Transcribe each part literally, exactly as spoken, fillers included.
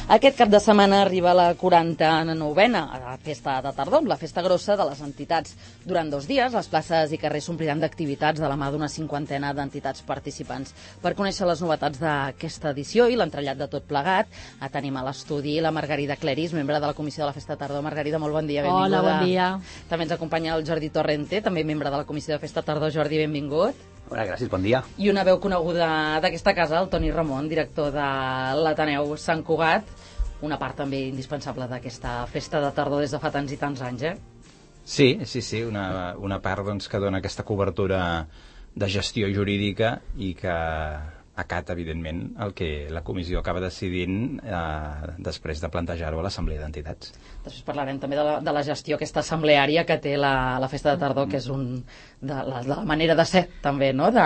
Aquest cap de setmana arriba la quaranta-novena a la festa de tardor, la festa grossa de les entitats. Durant dos dies, les places i carrers s'ompliran d'activitats de la mà d'una cinquantena d'entitats participants. Per conèixer les novetats d'aquesta edició i l'entrellat de tot plegat, tenim a l'estudi la Margarida Cleris, membre de la Comissió de la Festa de Tardor. Margarida, molt bon dia, benvinguda. Hola, bon dia. També ens acompanya el Jordi Torrente, també membre de la Comissió de Festa de Tardor. Jordi, benvingut. Hola, gràcies, bon dia. I una veu coneguda d'aquesta casa, el Toni Ramon, director de l'Ateneu Sant Cugat, una part també indispensable d'aquesta festa de tardor des de fa tants i tants anys, eh? Sí, sí, sí, una, una part doncs, que dona aquesta cobertura de gestió jurídica i que acata, evidentment, el que la comissió acaba decidint eh, després de plantejar-ho a l'Assemblea d'Entitats. Després parlarem també de la, de la gestió aquesta assembleària que té la, la festa de tardor, que és un, de, la, de la manera de ser, també, no?, de,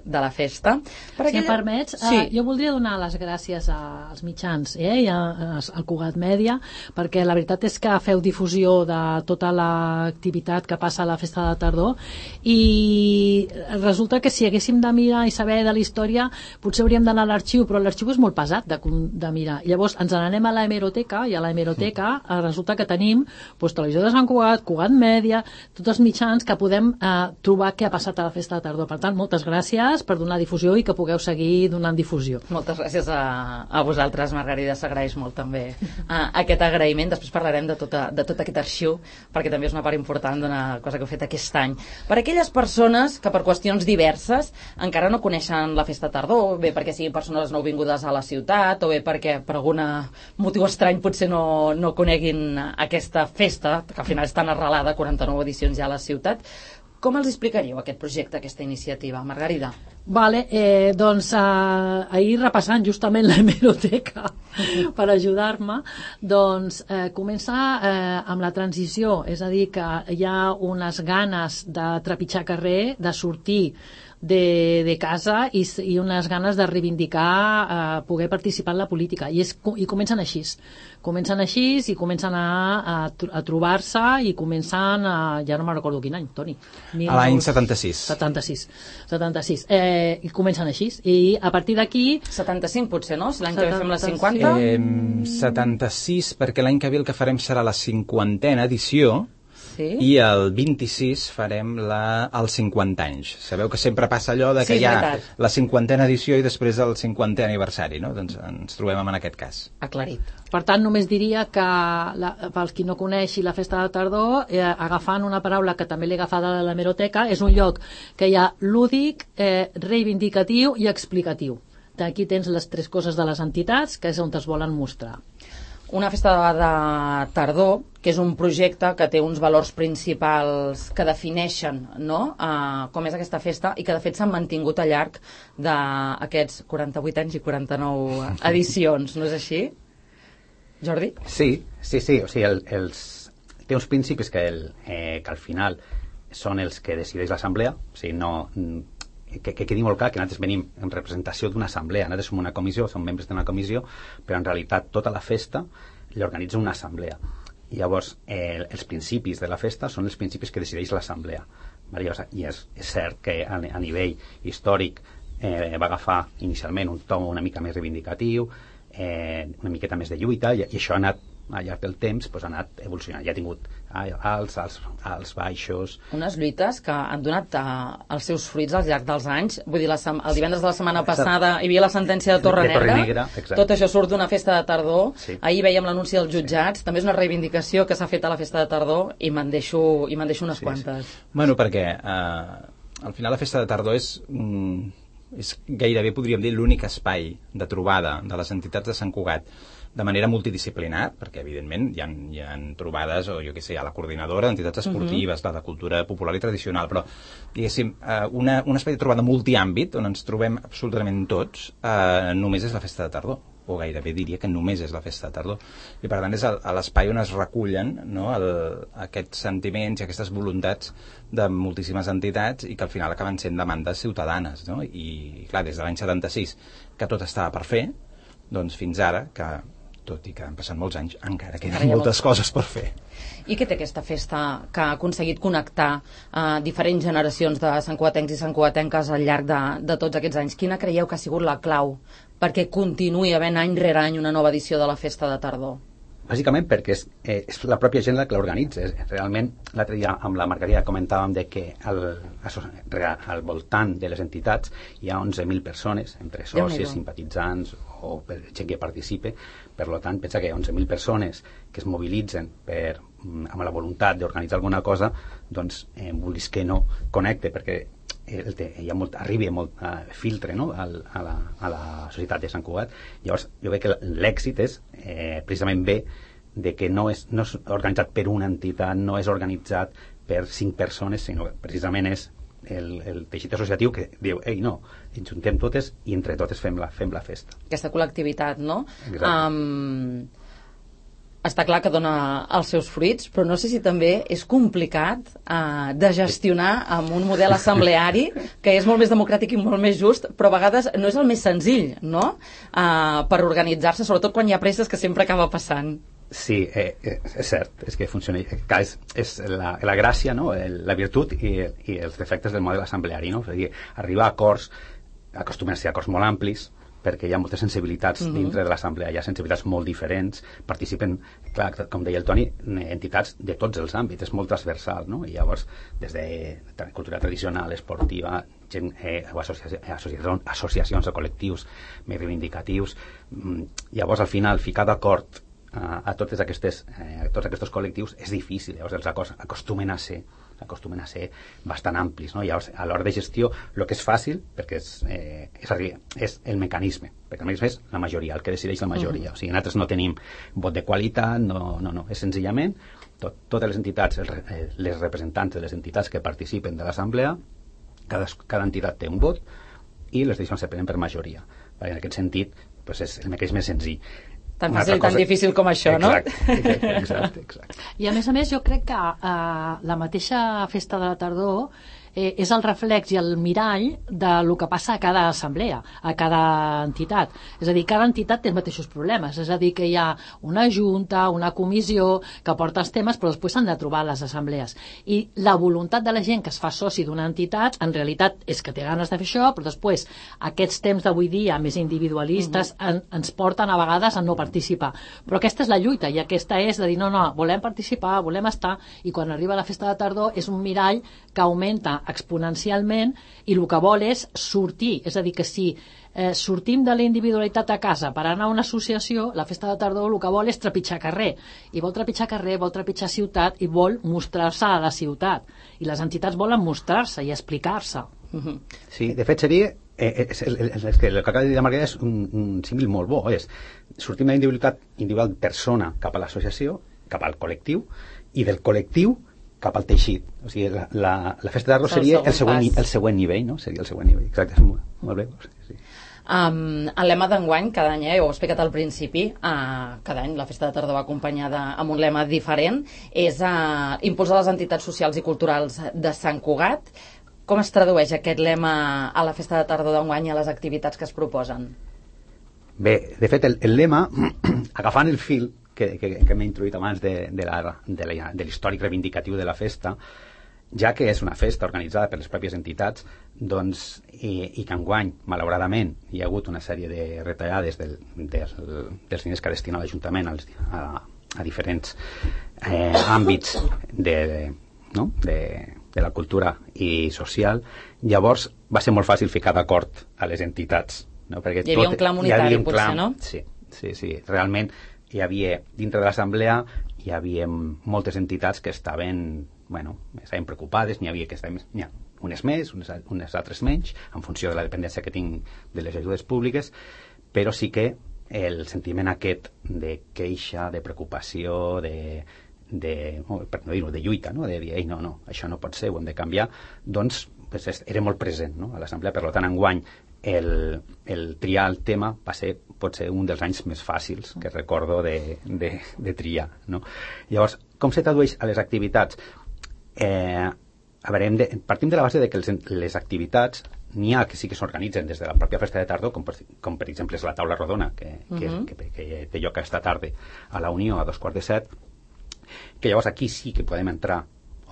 de la festa. Per si em permets, sí. eh, jo voldria donar les gràcies als mitjans eh, i a, al Cugat Mèdia, perquè la veritat és que feu difusió de tota l'activitat que passa a la festa de tardor, i resulta que si haguéssim de mirar i saber de la història, potser hauríem d'anar a l'arxiu, però l'arxiu és molt pesat de, de mirar. Llavors ens n'anem a la hemeroteca, i a la hemeroteca sí. resulta que tenim doncs, Televisió de Sant Cugat, Cugat Mèdia, tots els mitjans que podem eh, trobar què ha passat a la festa de tardor. Per tant, moltes gràcies per donar difusió i que pugueu seguir donant difusió. Moltes gràcies a, a vosaltres, Margarida, s'agraeix molt també a, aquest agraïment. Després parlarem de, tota, de tot aquest arxiu, perquè també és una part important d'una cosa que heu fet aquest any. Per aquelles persones que per qüestions diverses encara no coneixen la festa de tardor, bé perquè siguin persones nouvingudes a la ciutat, o bé perquè per algun motiu estrany potser no, no coneguin aquesta festa, que al final és tan arrelada, quaranta-nou edicions ja a la ciutat. Com els explicaríeu aquest projecte, aquesta iniciativa, Margarida? Vale, eh, doncs eh, ahir repassant justament la hemeroteca per ajudar-me, doncs eh, comença eh, amb la transició, és a dir, que hi ha unes ganes de trepitjar carrer, de sortir de, de casa i, i unes ganes de reivindicar eh, poder participar en la política, i, és, i comencen així comencen així i comencen a, a, a trobar-se i comencen a, ja no me'n recordo quin any, Toni, a l'any setanta-sis setanta-sis, setanta-sis eh, i comencen així, i a partir d'aquí setanta-cinc potser, no? Si l'any que ve fem la cinquanta? Eh, setanta-sis, perquè l'any que ve el que farem serà la cinquantena edició. Sí. I el vint-i-sis farem la, els cinquanta anys. Sabeu que sempre passa allò de que sí, hi ha veritat. La cinquantena edició i després el cinquantè aniversari, no? Doncs ens trobem en aquest cas. Aclarit. Per tant, només diria que, la, pels qui no coneixi la festa de tardor, eh, agafant una paraula que també l'he agafada de l'hemeroteca, és un lloc que hi ha lúdic, eh, reivindicatiu i explicatiu. Aquí tens les tres coses de les entitats, que és on es volen mostrar. Una festa de tardor, que és un projecte que té uns valors principals que defineixen, no?, uh, com és aquesta festa, i que de fet s'han mantingut al llarg d'aquests quaranta-vuit anys i quaranta-nou edicions, no és així? Jordi? Sí, sí, sí, o sigui, el, els, té uns principis que, el, eh, que al final són els que decideix l'assemblea, o sigui, no... Que, que quedi molt clar que nosaltres venim en representació d'una assemblea, nosaltres som una comissió, som membres d'una comissió, però en realitat tota la festa l'organitza una assemblea. I llavors eh, els principis de la festa són els principis que decideix l'assemblea. I és, és cert que a, a nivell històric eh, va agafar inicialment un to una mica més reivindicatiu, eh, una miqueta més de lluita, i, i això ha anat al llarg del temps, doncs, ha anat evolucionant. Ja ha tingut alts, alts, alts baixos... Unes lluites que han donat uh, els seus fruits al llarg dels anys. Vull dir, la el divendres de la setmana passada hi havia la sentència de Torre Negra, Negra tot això surt d'una festa de tardor. Sí. Ahir veiem l'anunci dels jutjats, sí. També és una reivindicació que s'ha fet a la festa de tardor, i me'n deixo, i me'n deixo unes sí, quantes. Sí. Bueno, perquè uh, al final la festa de tardor és... Mm, és gairebé, podríem dir, l'únic espai de trobada de les entitats de Sant Cugat de manera multidisciplinar, perquè evidentment hi ha, hi ha trobades, o jo què sé, hi ha la coordinadora d'entitats esportives, uh-huh. la de cultura popular i tradicional, però diguéssim, una, un espai de trobada multiàmbit on ens trobem absolutament tots, eh, només és la festa de tardor, o gairebé diria que només és la festa de tardor, i per tant és l'espai on es recullen, no, el, aquests sentiments i aquestes voluntats de moltíssimes entitats, i que al final acaben sent demandes ciutadanes, no? I clar, des de l'any setanta-sis que tot estava per fer, doncs fins ara que tot i que han passat molts anys, encara queden moltes coses per fer. I què té aquesta festa que ha aconseguit connectar eh, diferents generacions de santcugatencs i santcugatenques al llarg de, de tots aquests anys? Quina creieu que ha sigut la clau perquè continuï havent any rere any una nova edició de la Festa de Tardor? Bàsicament perquè és, eh, és la pròpia gent la que l'organitza. Realment, l'altre dia amb la Margarida comentàvem de que al, al voltant de les entitats hi ha onze mil persones, entre socis, simpatitzants o gent que participe. Per tant, pensa que onze mil persones que es mobilitzen per, amb la voluntat d'organitzar alguna cosa, doncs, eh, vulguis que no, connecte, perquè el te, hi ha molt, arribi molt uh, filtre, no? Al, a, la, a la societat de Sant Cugat. Llavors jo veig que l'èxit és eh, precisament bé de que no és, no és organitzat per una entitat, no és organitzat per cinc persones, sinó que precisament és el, el teixit associatiu que diu, ei, no, ens juntem totes i entre totes fem la, fem la festa. Aquesta col·lectivitat, no? Exacte. Um, està clar que dona els seus fruits, però no sé si també és complicat uh, de gestionar amb un model assembleari que és molt més democràtic i molt més just, però a vegades no és el més senzill, no? Uh, per organitzar-se, sobretot quan hi ha presses, que sempre acaba passant. Sí, eh, eh, és cert, és que funciona, és, és la, la gràcia, no? El, la virtut i, i els defectes del model assembleari, no? És a dir, arribar a acords, acostumen a ser acords molt amplis, perquè hi ha moltes sensibilitats uh-huh. dintre de l'assemblea, hi ha sensibilitats molt diferents, participen, clar, com deia el Toni, entitats de tots els àmbits, és molt transversal, no? I llavors, des de cultura tradicional, esportiva, gent, eh, o associa associacions, associacions o col·lectius més reivindicatius, llavors al final ficar d'acord a, a, totes aquestes, eh, a tots aquests col·lectius és difícil, llavors els acords acostumen a ser acostumen a ser bastant amplis, no? Llavors, a l'hora de gestió, el que és fàcil, perquè és, eh, és, és el mecanisme, perquè el mecanisme és la majoria, el que decideix la majoria. Uh-huh. O sigui, nosaltres no tenim vot de qualitat, no, no, no. És senzillament tot, totes les entitats, el, les representants de les entitats que participen de l'assemblea, cada, cada entitat té un vot i les decisions se prenen per majoria. Perquè en aquest sentit, doncs és el mecanisme senzill. Tan fàcil i tan difícil com això, no? Exacte, exacte, exacte. I a més a més jo crec que eh, la mateixa Festa de la Tardor eh, és el reflex i el mirall de lo que passa a cada assemblea, a cada entitat. És a dir, cada entitat té els mateixos problemes, és a dir, que hi ha una junta, una comissió que porta els temes, però després s'han de trobar les assemblees. I la voluntat de la gent que es fa soci d'una entitat, en realitat és que té ganes de fer això, però després aquests temps d'avui dia més individualistes uh-huh. en, ens porten a vegades a no participar. Però aquesta és la lluita i aquesta és de dir, no, no, volem participar, volem estar, i quan arriba la Festa de Tardor és un mirall que augmenta exponencialment i el que vol és sortir, és a dir, que si eh, sortim de la individualitat a casa per anar a una associació, la Festa de Tardor el que vol és trepitjar carrer, i vol trepitjar carrer, vol trepitjar ciutat i vol mostrar-se a la ciutat, i les entitats volen mostrar-se i explicar-se. Uh-huh. Sí, de fet seria eh, és, és, és, és que el que acaba de dir la Margarida és un, un símil molt bo, és sortim de la individualitat individual persona cap a l'associació, cap al col·lectiu, i del col·lectiu cap al teixit. O sigui, la, la, la Festa de Tardor seria el següent, el següent nivell, no? Seria el següent nivell, exacte, és molt, molt bé. Sí. Um, el lema d'enguany, cada any, eh, ho he explicat al principi, uh, cada any la Festa de Tardor va acompanyada amb un lema diferent, és uh, impulsar les entitats socials i culturals de Sant Cugat. Com es tradueix aquest lema a la Festa de Tardor d'enguany i a les activitats que es proposen? Bé, de fet, el, el lema, agafant el fil que, que, que m'he introduït abans de, de, la, de, la, de l'històric reivindicatiu de la festa, ja que és una festa organitzada per les pròpies entitats, doncs, i, i que enguany, malauradament, hi ha hagut una sèrie de retallades del, del, dels diners que destina l'Ajuntament als, a, a diferents eh, àmbits de, de, no? de, de la cultura i social, llavors va ser molt fàcil ficar d'acord a les entitats. No? Perquè hi havia tot, un clam unitari, un potser, clam, no? Sí, sí, sí, realment hi havia, dintre de l'assemblea hi havia moltes entitats que estaven, bueno, estaven preocupades, n'hi havia que estaven, n'hi ha unes més, unes, unes altres menys, en funció de la dependència que tinc de les ajudes públiques, però sí que el sentiment aquest de queixa, de preocupació, de, de per no dir-ho, de lluita, no? De dir, ei, no, no, això no pot ser, ho hem de canviar, doncs pues, era molt present, no? A l'assemblea. Per tant, enguany el, el triar el tema va ser potser un dels anys més fàcils que recordo de, de, de triar, no? Llavors, com se tradueix a les activitats? Eh, a veure, hem de, partim de la base de que les, les activitats n'hi ha que sí que s'organitzen des de la pròpia festa de tardor, com per, com per exemple és la taula rodona, que, que, uh-huh. que, que té lloc aquesta tarda a la Unió a dos quarts de set, que llavors aquí sí que podem entrar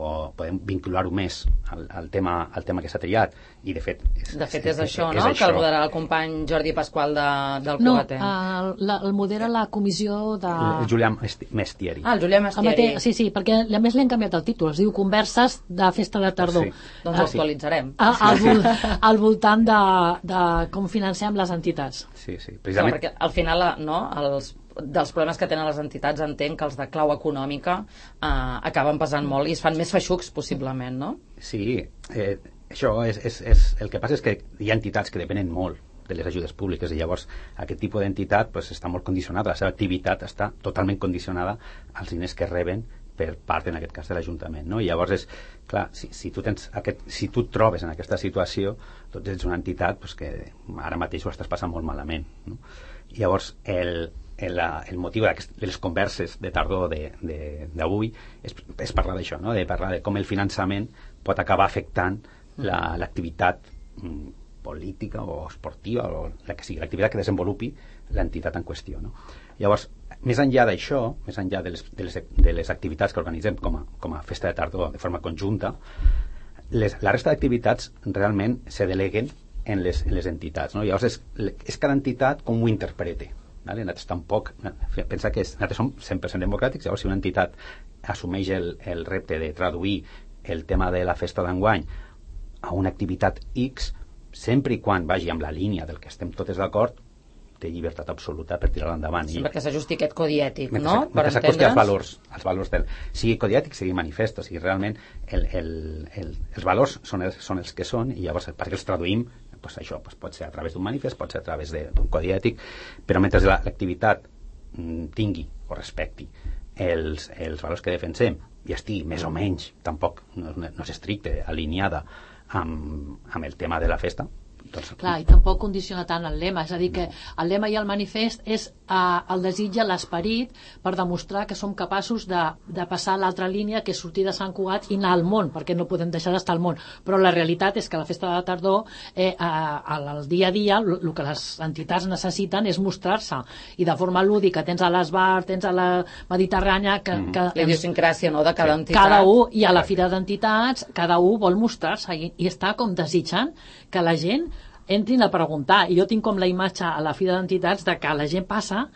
o podem vincular-ho més al, al, tema, al tema que s'ha triat, i de fet és, de fet és, és, és això, és, no? És que el moderarà el company Jordi Pasqual de, del Cugatenc. No, el, el modera la comissió de... El Julià Mestieri. Ah, el Julià Mestieri. El sí, sí, perquè a més li han canviat el títol, es diu Converses de Festa de Tardor. Sí. Doncs ho actualitzarem. Al, al, al voltant de, de com financem les entitats. Sí, sí, precisament. No, perquè al final, no, els dels problemes que tenen les entitats entenc que els de clau econòmica eh, acaben pesant molt i es fan més feixucs possiblement, no? Sí, eh, això és, és, és, el que passa és que hi ha entitats que depenen molt de les ajudes públiques i llavors aquest tipus d'entitat pues, està molt condicionada, la seva activitat està totalment condicionada als diners que reben per part, en aquest cas, de l'Ajuntament, no? I llavors és, clar, si, si, tu tens aquest, si tu et trobes en aquesta situació, doncs ets una entitat pues, que ara mateix ho estàs passant molt malament, no? I llavors el El, el motiu de les converses de tardor d'avui és, és parlar d'això, no? De parlar de com el finançament pot acabar afectant l'activitat la, mm, política o esportiva o la que sigui, l'activitat que desenvolupi l'entitat en qüestió, no? Llavors, més enllà d'això, més enllà de les, de, les, de les activitats que organitzem com a, com a festa de tardor de forma conjunta, les, la resta d'activitats realment se deleguen en les, en les entitats, no? Llavors és, és cada entitat com ho interprete. Vale? Nosaltres tampoc, pensa que és, nosaltres som cent per cent democràtics, llavors si una entitat assumeix el, el repte de traduir el tema de la festa d'enguany a una activitat X, sempre i quan vagi amb la línia del que estem totes d'acord, té llibertat absoluta per tirar-la endavant. Sempre que s'ajusti aquest codi ètic, mentre, no? Mentre s'acosti als valors, als valors del, sigui codi ètic, sigui manifest, o sigui, realment el, el, el, els valors són els, són els que són i llavors perquè els traduïm pues això pues pot ser a través d'un manifest, pot ser a través d'un codi ètic, però mentre l'activitat tingui o respecti els, els valors que defensem i estigui més o menys, tampoc no, no és estricte, alineada amb, amb el tema de la festa, doncs... Clar, i tampoc condiciona tant el lema, és a dir que el lema i el manifest és eh, el desig i l'esperit per demostrar que som capaços de, de passar l'altra línia que és sortir de Sant Cugat i anar al món, perquè no podem deixar d'estar al món, però la realitat és que la festa de tardor eh, al dia a dia el que les entitats necessiten és mostrar-se, i de forma lúdica tens a l'Esbar, tens a la Mediterrània que, mm. que, la idiosincràsia, no?, de cada sí. entitat, cada un, i a la fira d'entitats cada un vol mostrar-se i, i està com desitjant que la gent entrin a preguntar, i jo tinc com la imatge a la fira d'entitats de que la gent passa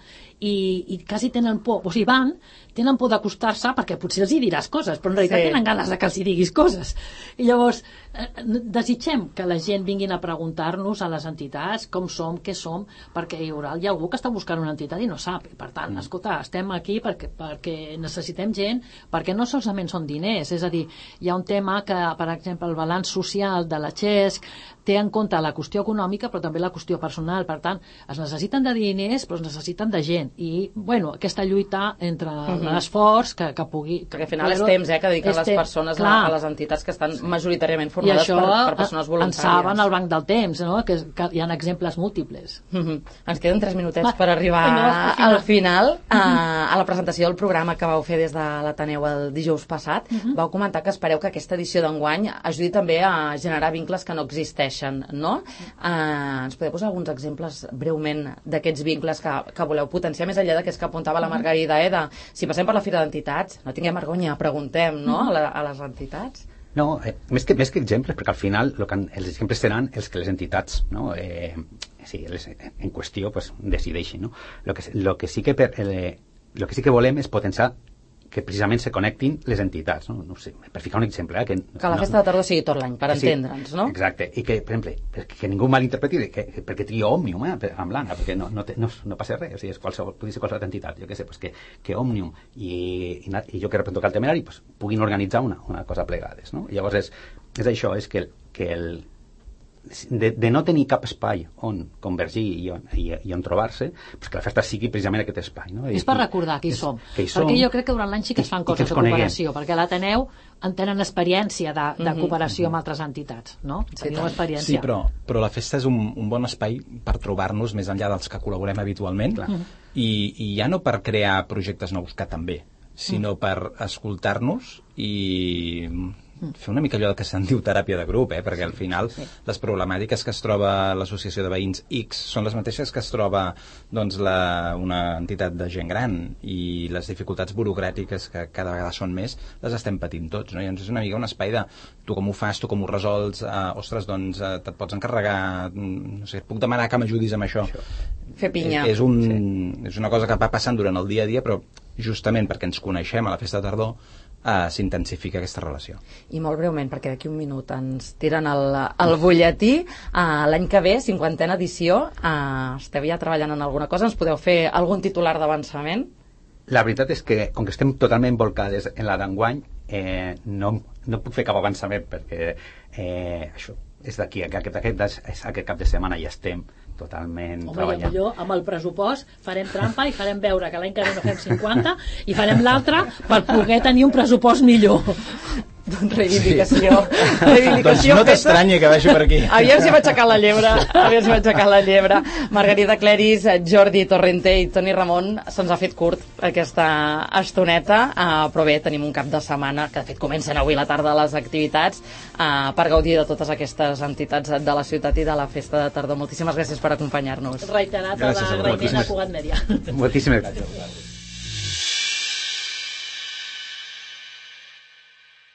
i, i quasi tenen por, o sigui, van, tenen por d'acostar-se perquè potser els hi diràs coses, però en realitat sí. tenen ganes de que els hi diguis coses. I llavors, eh, desitgem que la gent vinguin a preguntar-nos a les entitats com som, què som, perquè hi haurà hi ha algú que està buscant una entitat i no sap. I per tant, mm. escolta, estem aquí perquè, perquè necessitem gent, perquè no solament són diners, és a dir, hi ha un tema que, per exemple, el balanç social de la Xesc té en compte la qüestió econòmica però també la qüestió personal, per tant es necessiten de diners però es necessiten de gent i bueno, aquesta lluita entre uh-huh. l'esforç que, que pugui que, perquè al final és temps eh, que dediquen les persones a, a les entitats que estan majoritàriament formades per, per persones voluntàries. I això en saben el banc del temps, no? que, que hi ha exemples múltiples. Uh-huh. Ens queden tres minutets Va, per arribar no, al final uh, a la presentació del programa que vau fer des de l'Ateneu el dijous passat, uh-huh. vau comentar que espereu que aquesta edició d'enguany ajudi també a generar vincles que no existeixen, no? Uh, ens podeu posar alguns exemples breument d'aquests vincles que, que voleu potenciar més enllà d'aquests que apuntava la Margarida, eh, de si passem per la Fira d'Entitats, no tinguem vergonya, preguntem, no?, a, la, a les entitats. No, eh, més, que, més que exemples, perquè al final lo que, els exemples seran els que les entitats, no?, eh, sí, les, en qüestió pues, decideixin, no? Lo que, lo que sí que per, eh, lo que sí que volem és potenciar que precisament se connectin les entitats, no? No sé, per ficar un exemple. Eh, que, que la festa no, de tardor sigui tot l'any, per sí, entendre'ns, no? Exacte, i que, per exemple, que, que ningú malinterpreti que, perquè tria Òmnium, eh, amb l'Anna, perquè no, no, no, no passa res, o sigui, és qualsevol, pugui ser qualsevol entitat, jo què sé, pues que, que Òmnium i, i, i jo que represento el temerari pues, puguin organitzar una, una cosa plegades, no? I llavors és, és això, és que, que el De, de no tenir cap espai on convergir i on, i, i on trobar-se, pues que la festa sigui precisament aquest espai, no? I, és per recordar que hi som, que hi som perquè jo crec que durant l'any sí que es fan coses de cooperació, perquè a l'Ateneu en tenen experiència de, de mm-hmm. cooperació amb altres entitats, no? Sí, experiència. Sí, però, però la festa és un, un bon espai per trobar-nos més enllà dels que col·laborem habitualment mm-hmm. i, i ja no per crear projectes nous, que també, sinó mm. per escoltar-nos i fer una mica allò que se'n diu teràpia de grup, eh? Perquè al final sí. les problemàtiques que es troba l'associació de veïns X són les mateixes que es troba doncs, la, una entitat de gent gran, i les dificultats burocràtiques que cada vegada són més, les estem patint tots, no? I llavors és una mica un espai de tu com ho fas, tu com ho resols, eh, ostres, doncs eh, te't pots encarregar, no sé, puc demanar que m'ajudis amb això. això. Fer pinya. És, un, sí. és una cosa que va passant durant el dia a dia, però justament perquè ens coneixem a la festa de tardor Uh, s'intensifica aquesta relació. I molt breument, perquè d'aquí un minut ens tiren el, el butlletí. Uh, l'any que ve, cinquantena edició, uh, esteu ja treballant en alguna cosa? Ens podeu fer algun titular d'avançament? La veritat és que, com que estem totalment volcades en la d'enguany, eh, no, no puc fer cap avançament, perquè eh, això és d'aquí, aquest, aquest, aquest cap de setmana ja estem totalment Home, treballant. Home, millor amb el pressupost farem trampa i farem veure que l'any que ve no fem cinquanta i farem l'altre per poder tenir un pressupost millor. Doncs reivindicació. Sí. reivindicació doncs no t'estranyi que vagi per aquí. Aviam si va aixecar la llebre. Aviam si va aixecar la llebre. Margarida Cleris, Jordi Torrente i Toni Ramon, se'ns ha fet curt aquesta estoneta, uh, però bé, tenim un cap de setmana, que de fet comencen avui la tarda les activitats, uh, per gaudir de totes aquestes entitats de la ciutat i de la festa de tardor. Moltíssimes gràcies per acompanyar-nos. Reiterat a l'agraïment a Cugat Mèdia. Moltíssimes gràcies.